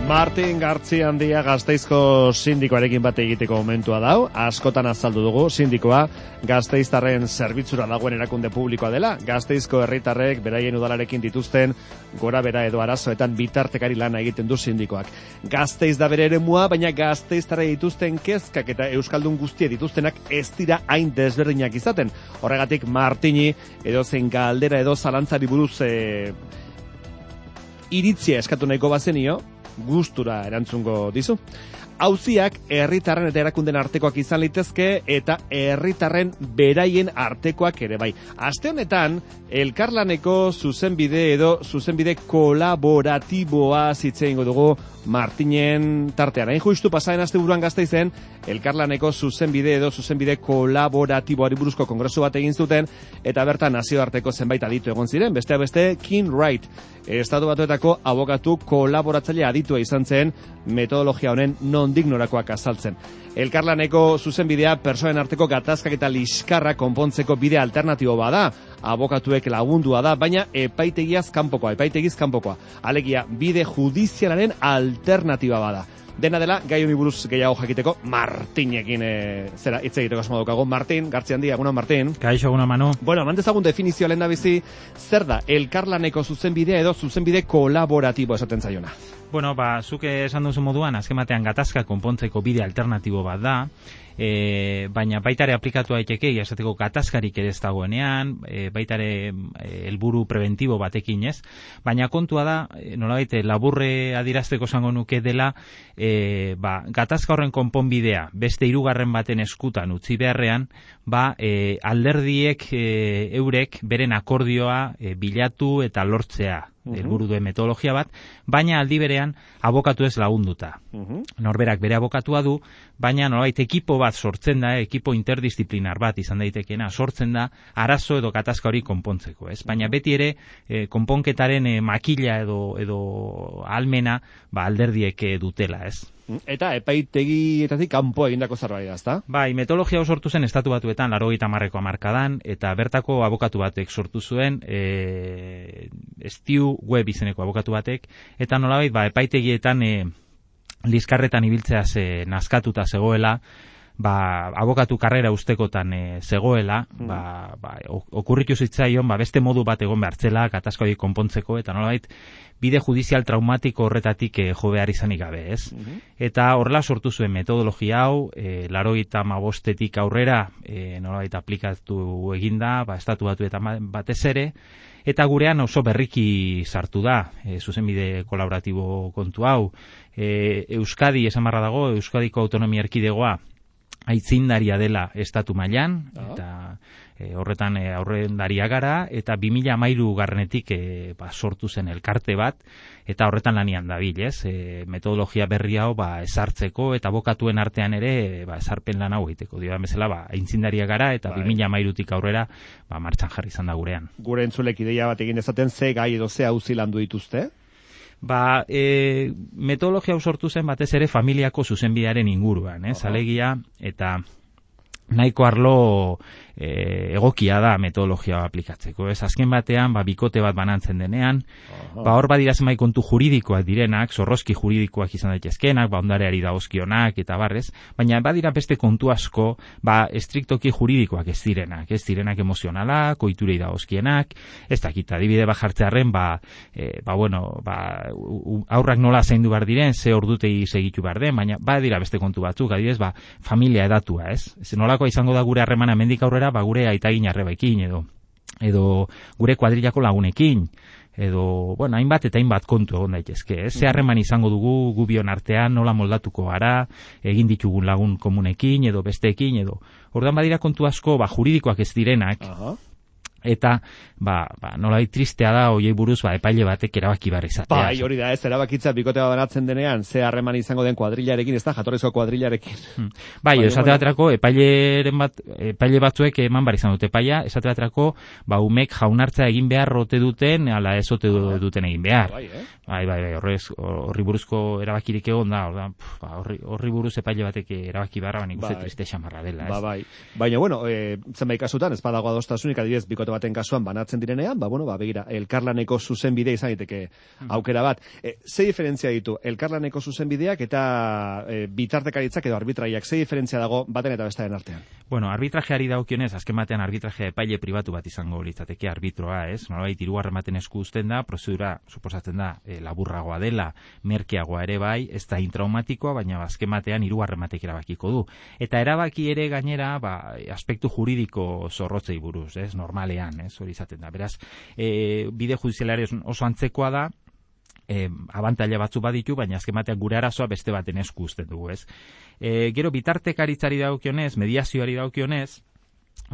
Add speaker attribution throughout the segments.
Speaker 1: Martin Gartziandia Gasteizko sindikoarekin bat egiteko momentua dau. Askotan azaldu dugu sindikoa Gasteiztarren zerbitzura dagoen erakunde publikoa dela. Gasteizko herritarrek beraien udalarekin dituzten gora bera edo arazoetan bitartekari lana egiten du sindikoak. Gasteiz da bere eremua, baina Gasteiztarrei dituzten kezkak eta euskaldun guztie dituztenak ez dira hain desberdinak izaten. Horregatik Martini edo zen galdera edo zalantzari buruz iritzia eskatu nahiko bazenio, gustura erantzungo dizu. Auziak herritarren eta erakunden artekoak izan litezke eta herritarren beraien artekoak ere bai. Aste honetan, elkarlaneko zuzenbide edo zuzenbide kolaboratiboa zitzeingo dugu Martinen tartean. Hain justu pasaren asteburuan Gasteizen, elkarlaneko zuzenbide edo zuzenbide kolaboratiboari buruzko kongresu bat egin zuten, eta bertan nazioarteko zenbait aditu egon ziren, besteak beste King Wright, Estatu Batuetako abokatu kolaboratzaile aditua izan zen metodologia honen nondik norakoak azaltzen. Elkarlaneko zuzenbidea pertsonen arteko gatazkak eta liskarra konpontzeko bide alternatibo bada, abokatuek lagundua da, baina epaitegiz kanpokoa. Alegia, bide judizialaren alternatiba bada. Dena dela, gai honi buruz gehiago jakiteko Martinekin hitz egiteko asmo daukago. Martin, Gartziandia, egunon Martin.
Speaker 2: Kaixo, egunon Manu.
Speaker 1: Bueno, mantezagun definizioa lehendabizi, zer da elkarlaneko zuzenbidea edo zuzenbide kolaboratibo esaten zaiona?
Speaker 2: Bueno, zuk esan duzu moduan, azken batean gatazka konpontzeko bide alternatibo bat da, baina baitare aplikatu daiteke, esateko gatazkarik ere ez dagoenean, baitare helburu preventibo batekin ez, baina kontua da, nolabait laburre adierazteko esango nuke dela, gatazka horren konponbidea beste hirugarren baten eskutan utzi beharrean, alderdiek eurek beren akordioa bilatu eta lortzea. Helburu duen metodologia bat, baina aldi berean abokatu ez lagunduta. Norberak bere abokatua du, baina nolabait ekipo bat sortzen da, ekipo interdisziplinar bat izan daitekeena sortzen da, arazo edo gatazka hori konpontzeko, ez? Baina beti ere konponketaren makila edo almena alderdiek dutela, ez?
Speaker 1: Eta epaitegietatik kanpo egindako zerbait da, ezta?
Speaker 2: Bai, metodologia hau sortu zen Estatu Batuetan 80ko hamarkadan, eta bertako abokatu batek sortu zuen, Stu Webb izeneko abokatu batek, eta nolabait epaitegietan liskarretan ibiltzeaz nazkatuta zegoela, abokatu karrera ustekotan zegoela, okurritu zitzaion beste modu bat egon behartzela gatazka hori konpontzeko, eta nolabait bide judizial traumatiko horretatik jo behar izanik gabe, ez? Eta horrela sortu zuen metodologia hau, 85etik aurrera nolabait aplikatu eginda, Estatu Batuetan batez ere, eta gurean oso berriki sartu da, zuzenbide kolaboratibo kontu hau. Euskadi, esan barra dago, Euskadiko autonomia erkidegoa aitzindaria dela estatu mailan, eta horretan aurrendaria gara, eta 2013 garrenetik sortu zen elkarte bat, eta horretan lanian dabil, ez? Metodologia berri hau ezartzeko, eta abokatuen artean ere ezarpen lan hau egiteko. Diodan bezala, aitzindaria gara, eta 2013tik aurrera martxan jarri izan da gurean.
Speaker 1: Gure entzulek ideia bat egin dezaten, ze gai edo ze auzi landu dituzte?
Speaker 2: Metodologia hau sortu zen batez ere familiako zuzenbidearen inguruan, alegia, eta nahiko arlo egokia da metodologia aplikatzeko. Azken batean, bikote bat banantzen denean, hor badira zenbait kontu juridikoak direnak, zorrozki juridikoak izan daitezkenak, ondareari dagozkionak eta barrez, baina badira beste kontu asko, estriktoki juridikoak ez direnak emozionalak, ohiturei dagozkienak, ez dakit, adibide bat jartzearren, aurrak nola zaindu behar diren, ze ordutegi segitu behar den, baina badira beste kontu batzuk, adibidez, familia edatua, ez? Nolakoa izango da gure harremana hemendik aurrera, gure aitagin arrebaekin, edo gure kuadrillako lagunekin, edo, hainbat eta hainbat kontu egon daitezke. Ze harreman izango dugu gubion artean, nola moldatuko gara, egin ditugun lagun komunekin, edo besteekin, edo. Orduan badira kontu asko, juridikoak ez direnak, eta nolai tristea da hoiei buruz epaile batek erabaki behar izatea.
Speaker 1: Hori da, ez erabakitza bikote bat banatzen denean, ze harreman izango den kuadrillarekin, ez da, jatorrizko kuadrillarekin.
Speaker 2: Esate baterako, epaile batzuek eman bar izan dute epaia, esate baterako, umek jaunartza egin behar rote duten, ala ez ote duten egin behar. Horri buruzko erabakirik egon da, horri buruz epaile batek erabaki beharra, nik uste triste xamarra dela.
Speaker 1: Baina, zenbait kasutan, ez badago adostasunik, adibidez, bikote bikote baten kasuan banatzen direnean, begira, elkarlaneko zuzenbide izan daiteke aukera bat. Ze diferentzia ditu elkarlaneko zuzenbideak eta bitartekaritzak edo arbitraiak? Ze diferentzia dago baten eta bestaren artean?
Speaker 2: Bueno, arbitrajeari dagokionez, azken batean arbitrajea epaile pribatu bat izango litzateke arbitra, ez? Nolabait hirugarren baten esku uzten da, prozedura suposatzen da laburragoa dela, merkeagoa ere bai, ez da intraumatikoa, baina azken batean hirugarren batek erabakiko du. Eta erabaki ere gainera, aspektu juridiko zorrotzei buruz, ez? Normalean, ez? Hori izaten da. Beraz, bide judizialari oso antzekoa da, abantaila batzu baditu, baina azken batean gure arazoa beste baten esku uzten dugu, ez? Gero bitartekaritzari dagokionez, mediazioari dagokionez,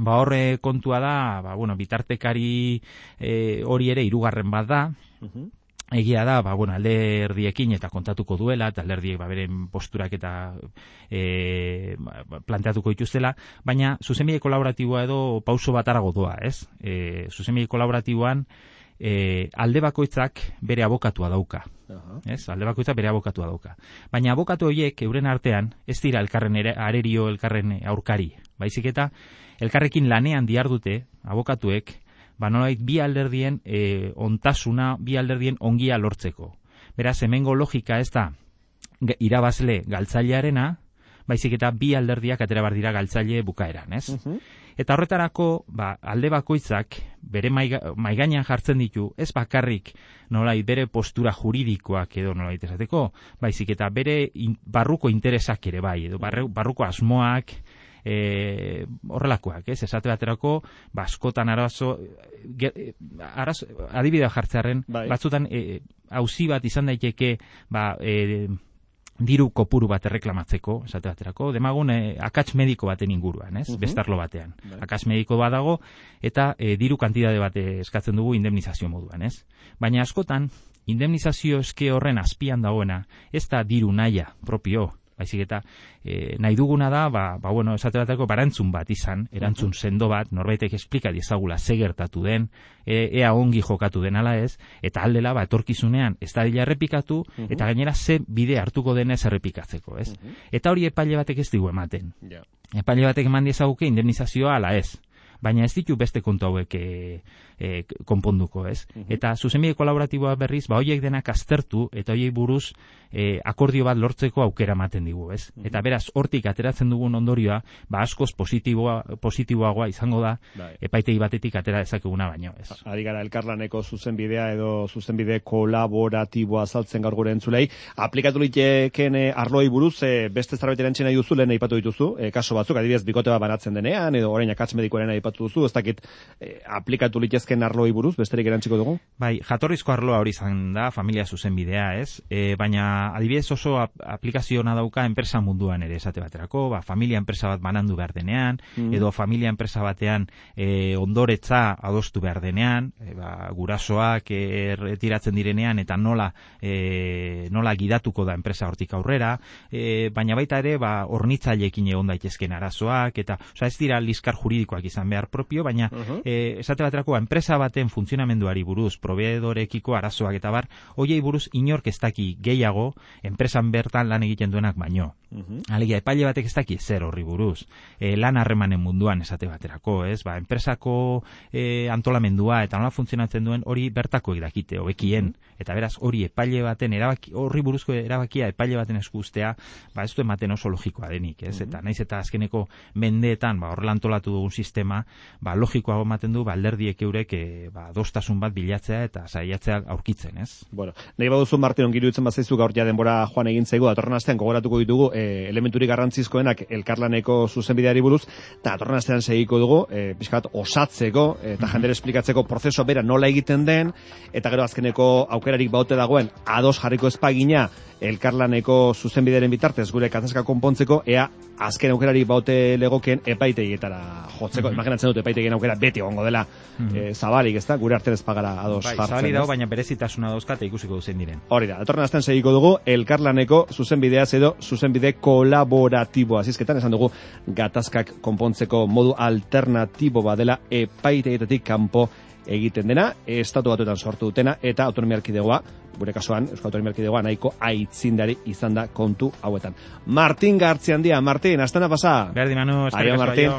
Speaker 2: horre kontua da, bitartekari hori ere hirugarren bat da, egia da, alderdiekin eta kontatuko duela, eta alderdiek beren posturak eta planteatuko dituztela, baina zuzenbide kolaboratiboa edo pauso bat arago doa, ez? Zuzenbide kolaboratiboan alde bakoitzak bere abokatua dauka. Ez? Alde bakoitzak bere abokatua dauka. Baina abokatu horiek euren artean ez dira elkarren arerio, elkarren aurkari. Baizik eta elkarrekin lanean dihardute abokatuek, nolabait bi alderdien ontasuna, bi alderdien ongia lortzeko. Beraz, hemengo logika ez da irabazle galtzailearena, baizik eta bi alderdiak atera bar dira galtzaile bukaeran, ez? Eta horretarako, alde bakoitzak bere maigainan jartzen ditu, ez bakarrik nolait bere postura juridikoak edo nolait esateko, baizik eta bere barruko interesak ere bai, edo barruko asmoak, horrelakoak, ez? Esate baterako, askotan adibidea jartzearen, batzutan auzi bat izan daiteke, diru kopuru bat erreklamatzeko, esate baterako, demagun akats mediko baten inguruan, ez? Bestarlo batean. Akats mediko bat dago, eta diru kantitate bat eskatzen dugu indemnizazio moduan, ez? Baina askotan, indemnizazio eske horren azpian dagoena, ez da diru nahia propio, baizik eta nahi duguna da, esate baterako barantzun bat izan, erantzun sendo bat, norbaitek esplika diezagula ze gertatu den, ea ongi jokatu den ala ez, eta aldela etorkizunean ez da dila errepikatu, eta gainera ze bide hartuko denez errepikatzeko, ez? Eta hori epaile batek ez digu ematen. Epaile batek eman diezaguke indemnizazioa ala ez. Baina ez ditu beste kontu hauek konponduko, ez? Eta zuzenbide kolaboratiboa berriz, horiek denak aztertu, eta horiek buruz akordio bat lortzeko aukera ematen digu, ez? Eta beraz, hortik ateratzen dugun ondorioa, askoz positiboagoa izango da, epaitegi batetik atera dezakeguna baino, ez?
Speaker 1: Ari gara elkarlaneko zuzenbidea edo zuzenbide kolaboratiboa azaltzen gaur gure entzulei. Aplikatu liteken arloi buruz, beste zerbait erantzena duzu, lehen aipatu dituzu, kaso batzuk, adibidez, bikote bat banatzen denean, edo orain akats medikoaren aipatu duzu, ez dakit aplikatu litezken arloi buruz, besterik erantziko dugu?
Speaker 2: Bai, jatorrizko arloa hori izan da, familia zuzenbidea, ez? Baina adibidez oso aplikazioa dauka enpresa munduan ere esate baterako, familia enpresa bat banandu behar denean, edo familia enpresa batean ondoretza adostu behar denean, gurasoak retiratzen direnean eta nola gidatuko da enpresa hortik aurrera, baina baita ere hornitzaileekin egon daitezken arazoak, eta ez dira liskar juridikoak izan behar propio, baina esate baterako enpresa baten funtzionamenduari buruz, proveedorekiko arazoak eta bar, hoiei buruz inork ez daki gehiago enpresan bertan lan egiten duenak baino. Alegia, epaile batek ez daki zer horri buruz. Lan harremanen munduan esate baterako, ez? Enpresako antolamendua eta nola funtzionatzen duen hori bertako dakite, hobekien. Eta beraz, hori epaile baten horri buruzko erabakia epaile baten esku uztea, ez du ematen oso logikoa denik, ez? Eta naiz eta azkeneko mendeetan, horrela antolatu dugun sistema, logikoago ematen du, alderdiek eurek adostasun bat bilatzea eta saiatzea aurkitzen, ez?
Speaker 1: Bueno, nahi baduzu Martin ongiru itzen bazaizu gaur ja denbora joan egin zaigu, datorren astean gogoratuko ditugu elementurik garrantzizkoenak elkarlaneko zuzenbideari buruz, eta datorren astean segiko dugu, pixka bat osatzeko, eta jendere esplikatzeko prozeso bera nola egiten den, eta gero azkeneko aukerarik baute dagoen ados jarriko espagina elkarlaneko zuzenbideren bitartez gure gatazka konpontzeko, ea azken aukerari baute legoken epaitegietara jotzeko. Imaginatzen dut epaitegien aukera beti egongo dela zabalik, ez da? Gure artean ez pagara ados jartzen.
Speaker 2: Zabali dago, baina berezitasuna dauzka eta ikusiko duzen diren.
Speaker 1: Hori da, datorren astean segiko dugu elkarlaneko zuzenbideaz edo zuzenbide kolaboratiboa. Azizketan esan dugu gatazkak konpontzeko modu alternatibo badela epaitegietatik kanpo egiten dena, estatu batuetan sortu dutena, eta autonomia erkidegoa, gure kasuan, Euskal Autonomia Erkidegoa nahiko aitzindari izan da kontu hauetan. Martin Gartziandia, Martin, astana pasa.
Speaker 2: Berdi Manu,
Speaker 1: Martin.